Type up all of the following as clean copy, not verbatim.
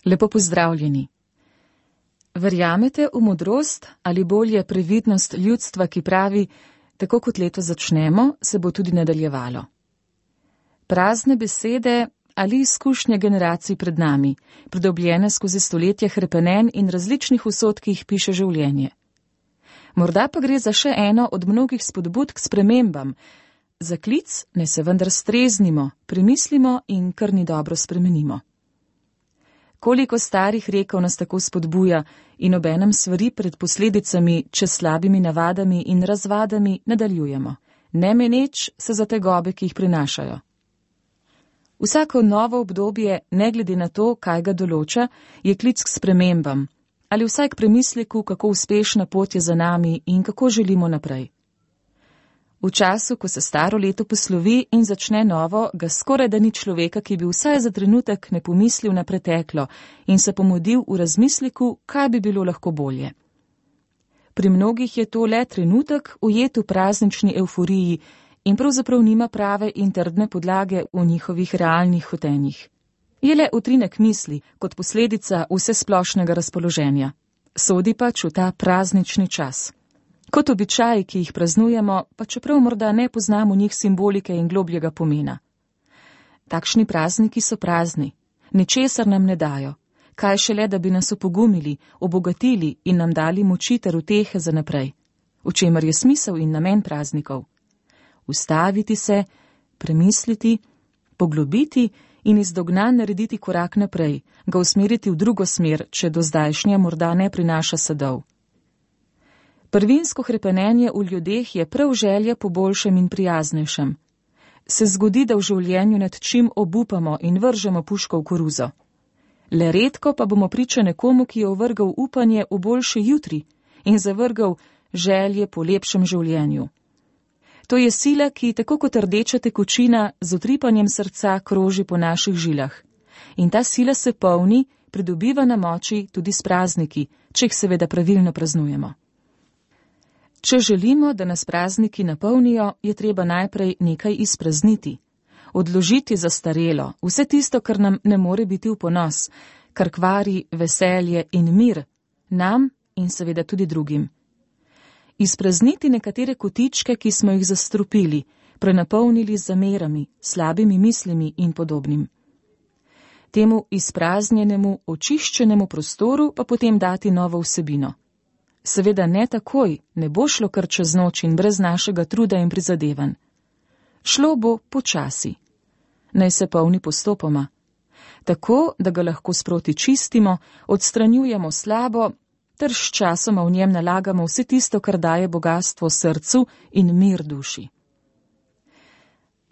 Lepo pozdravljeni. Verjamete v modrost ali bolje previdnost ljudstva, ki pravi, tako kot leto začnemo, se bo tudi nadaljevalo? Prazne besede ali izkušnje generacij pred nami, pridobljene skozi stoletja hrepenenj in različnih usod, ki jih piše življenje. Morda pa gre za še eno od mnogih spodbud k spremembam, za klic, naj se vendar streznimo, premislimo in kar ni dobro spremenimo. Koliko starih rekov nas tako spodbuja in obenem svari pred posledicami, če s slabimi navadami in razvadami nadaljujemo, ne meneč se za tegobe, ki jih prinašajo. Vsako novo obdobje, ne glede na to, kaj ga določa, je klic k spremembam ali vsaj k premisleku, kako uspešna pot je za nami in kako želimo naprej. V času, ko se staro leto poslovi in začne novo, ga skoraj da ni človeka, ki bi vsaj za trenutek ne pomislil na preteklo in se pomodil v razmisleku, kaj bi bilo lahko bolje. Pri mnogih je to le trenutek ujet v praznični evforiji in pravzaprav nima prave in trdne podlage v njihovih realnih hotenjih. Je le utrinek misli kot posledica vsesplošnega razpoloženja. Sodi pač v ta praznični čas. Kot običaji, ki jih praznujemo, pa čeprav morda ne poznamo njih simbolike in globljega pomena. Takšni prazniki so prazni, ničesar nam ne dajo, kaj šele, da bi nas opogumili, obogatili in nam dali moči ter utehe za naprej, v čemer je smisel in namen praznikov. Ustaviti se, premisliti, poglobiti in iz dognanj narediti korak naprej, ga usmeriti v drugo smer, če do zdajšnja morda ne prinaša sadov. Prvinsko hrepenenje v ljudeh je prav želja po boljšem in prijaznejšem. Se zgodi, da v življenju nad čim obupamo in vržemo puško v koruzo. Le redko pa bomo priča nekomu, ki je ovrgal upanje v boljše jutri in zavrgal želje po lepšem življenju. To je sila, ki tako kot rdeča tekočina z utripanjem srca kroži po naših žilah. In ta sila se polni, pridobiva na moči tudi s prazniki, če jih seveda pravilno praznujemo. Če želimo, da nas prazniki napolnijo, je treba najprej nekaj izprazniti, odložiti zastarelo, vse tisto, kar nam ne more biti v ponos, kar kvari veselje in mir, nam in seveda tudi drugim. Izprazniti nekatere kotičke, ki smo jih zastrupili, prenapolnili z zamerami, slabimi mislimi in podobnim. Temu izpraznjenemu, očiščenemu prostoru pa potem dati novo vsebino. Seveda ne takoj, ne bo šlo kar čez noč in brez našega truda in prizadevanj. Šlo bo počasi. Naj se polni postopoma. Tako, da ga lahko sproti čistimo, odstranjujemo slabo, ter s časoma v njem nalagamo vse tisto, kar daje bogastvo srcu in mir duši.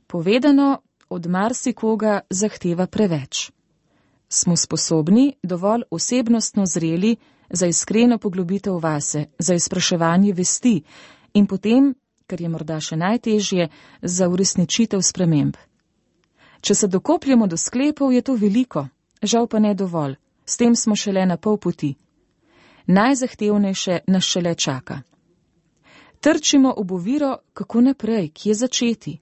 Povedano od marsikoga zahteva preveč. Smo sposobni, dovolj osebnostno zreli, za iskreno poglobitev vase, za izpraševanje vesti in potem, kar je morda še najtežje, za uresničitev sprememb. Če se dokopljamo do sklepov, je to veliko, žal pa ne dovolj, s tem smo šele na pol poti. Najzahtevnejše nas šele čaka. Trčimo ob oviro, kako naprej, kje začeti.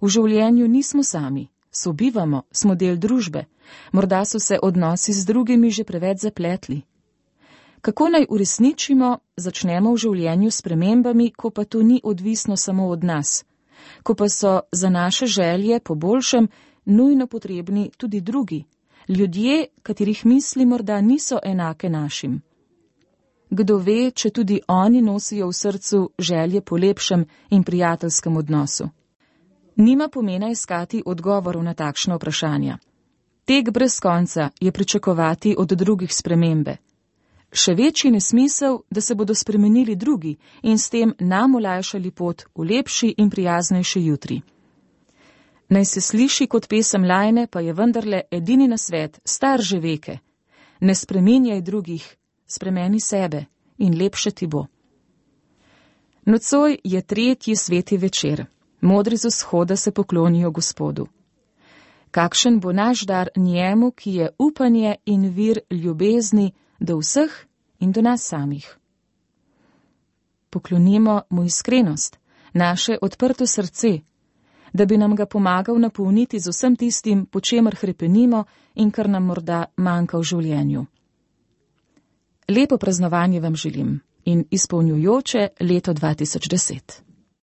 V življenju nismo sami, sobivamo, smo del družbe, morda so se odnosi z drugimi že preveč zapletli. Kako naj uresničimo, začnemo v življenju s spremembami, ko pa to ni odvisno samo od nas, ko pa so za naše želje po boljšem nujno potrebni tudi drugi, ljudje, katerih misli morda niso enake našim. Kdo ve, če tudi oni nosijo v srcu želje po lepšem in prijateljskem odnosu. Nima pomena iskati odgovorov na takšna vprašanja. Tek brez konca je pričakovati od drugih spremembe. Še večji nesmisel, da se bodo spremenili drugi in s tem nam olajšali pot v lepši in prijaznejši jutri. Naj se sliši kot pesem Lajne, pa je vendarle edini nasvet, star že veke. Ne spreminjaj drugih, spremeni sebe in lepše ti bo. Nocoj je 3. sveti večer. Modri z vzhoda se poklonijo Gospodu. Kakšen bo naš dar njemu, ki je upanje in vir ljubezni do vseh in do nas samih. Poklonimo mu iskrenost, naše odprto srce, da bi nam ga pomagal napolniti z vsem tistim, po čemer hrepenimo in kar nam morda manjka v življenju. Lepo praznovanje vam želim in izpolnjujoče leto 2010.